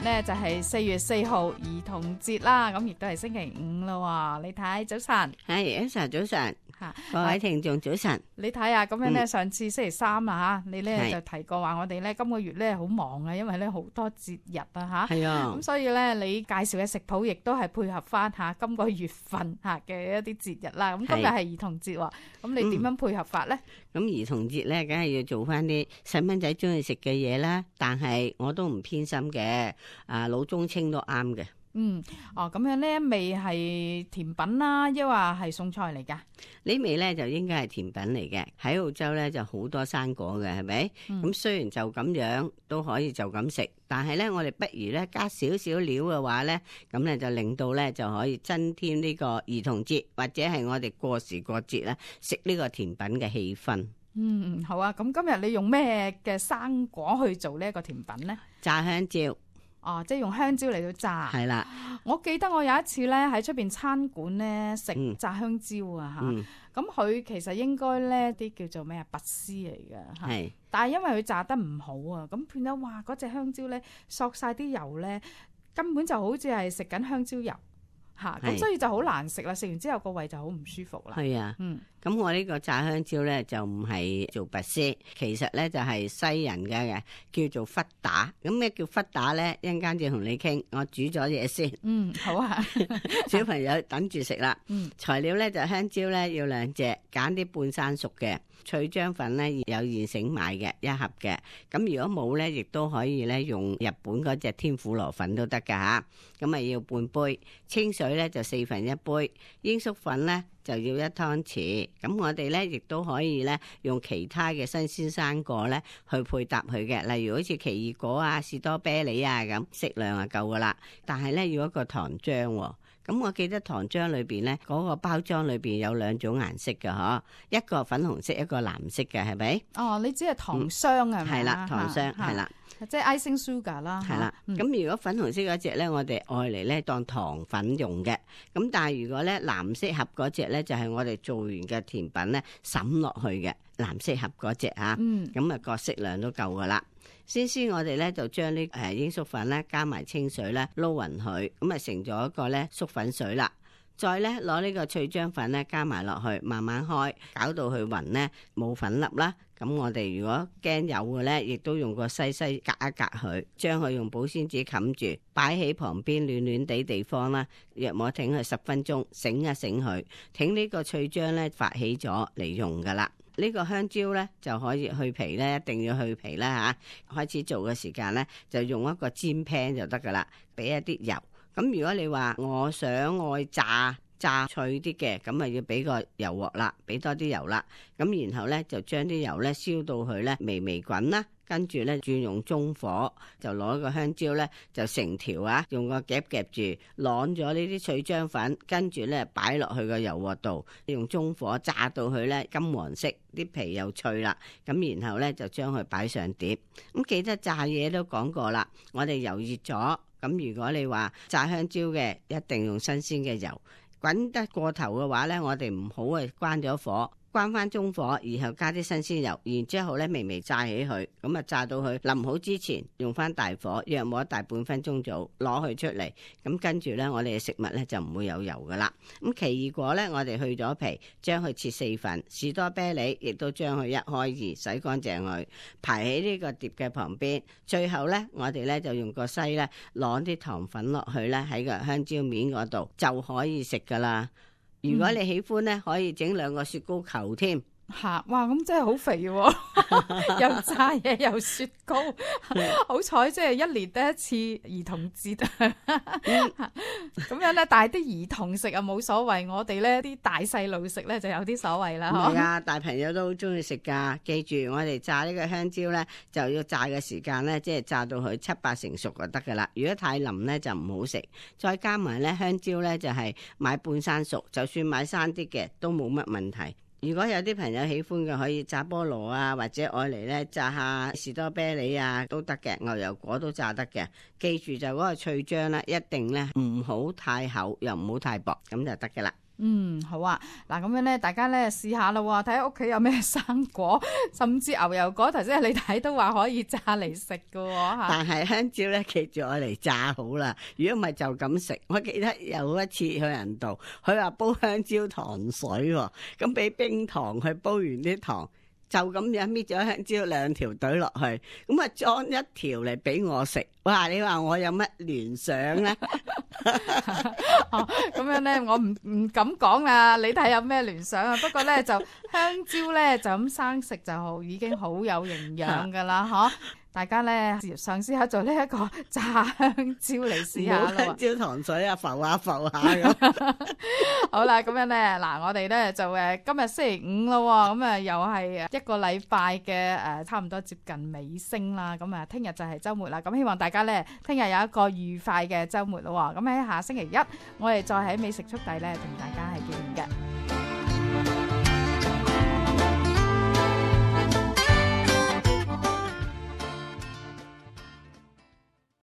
呢就係4月4號兒童節啦，咁亦都係星期五啦。你睇早晨，係Elsa早晨，吓各位聽眾早晨。你睇下咁樣呢，上次星期三啦吓，你呢係就提過話我哋呢今個月呢好忙啊，因為呢好多節日啊吓。係啊咁，所以呢，你介紹嘅食譜亦都係配合翻吓今個月份吓嘅一啲節日啦。咁今日係兒童節喎，咁你點樣配合法呢？咁兒童節咧，梗係要做翻啲細蚊仔中意食嘅嘢啦。但係我都唔偏心嘅，老中青都啱嘅。咁樣呢味係甜品啦，抑或係餸菜嚟㗎？呢味咧就應該係甜品嚟嘅。喺澳洲咧就好多生果嘅，係咪？咁雖然就咁樣都可以就咁食，但係咧我哋不如咧加少少料嘅話咧，咁咧就令到咧就可以增添呢個兒童節或者係我哋過時過節咧食呢個甜品嘅氣氛。好啊。咁今日你用咩嘅生果去做呢一個甜品呢？炸香蕉。即係用香蕉嚟到炸。係啦。我記得我有一次咧喺出邊餐館咧食炸香蕉啊吓，咁佢其實應該咧啲叫做咩啊拔絲嚟嘅吓，係。但係因為佢炸得唔好啊，咁變咗哇嗰隻香蕉咧索晒啲油咧，根本就好似係食緊香蕉油吓，咁所以就好難食啦。食完之後個胃就好唔舒服啦。係啊。咁我呢個炸香蕉咧就唔係做拔絲，其實咧就係西人嘅叫做忽打。咁咩叫忽打咧？一陣間就同你傾。我煮咗嘢先。好啊。小朋友等住食啦。材料咧就香蕉咧要2隻，揀啲半生熟嘅。脆漿粉咧有現成買嘅1盒嘅。咁如果冇咧，亦都可以咧用日本嗰隻天婦羅粉都得噶吓。咁啊要半杯清水咧就1/4杯，鷹粟粉咧就要1湯匙。咁我哋咧亦都可以咧用其他嘅新鮮生果咧去配搭佢嘅，例如好似奇異果啊、士多啤梨啊咁，適量就夠噶啦。但係咧要一個糖漿喎。咁我記得糖漿裏邊咧嗰個包裝裏邊有2種顏色嘅嗬，一個粉紅色，一個藍色嘅，係咪？你只係糖霜啊？係啦，糖霜係啦。即係 icing sugar 啦，係啦。咁如果粉紅色嗰隻咧，我哋愛嚟咧當糖粉用嘅。咁但係如果咧藍色盒嗰隻咧，就係我哋做完嘅甜品咧滲落去嘅藍色盒嗰隻啊。咁啊個適量都夠噶啦。先我哋咧就將呢鷹粟粉咧加埋清水咧撈勻佢，咁啊成咗一個咧粟粉水啦。再咧攞呢個脆漿粉咧加埋落去，慢慢開，搞到佢勻咧冇粉粒啦。咁我哋如果驚有嘅咧，亦都用個西隔一隔佢，將佢用保鮮紙冚住，擺喺旁邊暖暖地地方啦。約莫停佢10分鐘，醒一醒佢，挺呢個脆漿咧發起咗嚟用噶啦。呢個香蕉咧就可以去皮咧，一定要去皮啦吓。開始做嘅時間咧，就用一個煎 pan 就得噶啦，俾一啲油。咁如果你話我想愛炸脆啲嘅，咁啊要俾個油鑊啦，俾多啲油啦。咁然後咧就將啲油咧燒到佢咧微微滾啦，跟住咧轉用中火，就攞個香蕉咧就成條用個夾夾住，晾咗呢啲脆漿粉，跟住咧擺落去個油鑊度，用中火炸到佢咧金黃色，啲皮又脆啦。咁然後咧就將佢擺上碟。咁記得炸嘢都講過啦，我哋油熱咗。咁如果你話炸香蕉嘅，一定用新鮮嘅油。滾得過頭嘅話咧，我哋唔好關咗火，關翻中火，然後加啲新鮮油，然之後咧微微炸起佢，咁啊炸到佢淋好之前，用翻大火，約莫大半分鐘左右攞佢出嚟。咁跟住咧，我哋嘅食物咧就唔會有油噶啦。咁奇異果咧，我哋去咗皮，將佢切4份；士多啤梨亦都將佢1開2，洗乾淨佢，排喺呢個碟嘅旁邊。最後咧，我哋咧就用個篩咧，攞啲糖粉落去咧喺個香蕉面嗰度就可以食噶啦。如果你喜歡咧，可以整2個雪糕球添。哇，咁真係好肥喎，又炸嘢又雪糕，好彩即係1年得1次兒童節咁樣咧，但係啲兒童食啊冇所謂，我哋咧啲大細路食咧就有啲所謂啦。係啊，大朋友都好中意食噶。記住，我哋炸呢個香蕉咧，就要炸嘅時間咧，即係炸到佢7-8成熟就得噶啦。如果太腍咧就唔好食。再加埋咧香蕉咧就係買半生熟，就算買生啲嘅都冇乜問題。如果有啲朋友喜歡嘅，可以炸菠蘿啊，或者愛嚟咧炸下士多啤梨啊都得嘅，牛油果都炸得嘅。記住就嗰個脆漿咧，一定咧唔好太厚，又唔好太薄，咁就得嘅啦。好啊，嗱咁樣咧，大家咧試下咯，睇下屋企有咩生果，甚至牛油果，頭先你睇都話可以炸嚟食噶吓。但係香蕉咧，記住我嚟炸好啦。如果唔係就咁食。我記得有一次去人度，佢話煲香蕉糖水喎，咁俾冰糖去煲完啲糖。就咁樣搣咗香蕉2條懟落去，咁啊裝1條嚟俾我食。哇！你話我有乜聯想咧？咁樣咧，我唔敢講啦。你睇有咩聯想啊？不過咧，就香蕉咧就咁生食就已經好有營養噶啦，嗬！大家咧嘗試下做呢一個炸香蕉嚟試下咯。香蕉糖水啊，浮下咁。好啦，咁樣咧，嗱，我哋咧就今日星期5咯，咁啊又係一個禮拜嘅差唔多接近尾聲啦。咁啊，聽日就係週末啦。咁希望大家咧聽日有一個愉快嘅週末咯。咁喺下星期1，我哋再喺美食速遞咧同大家係見面嘅。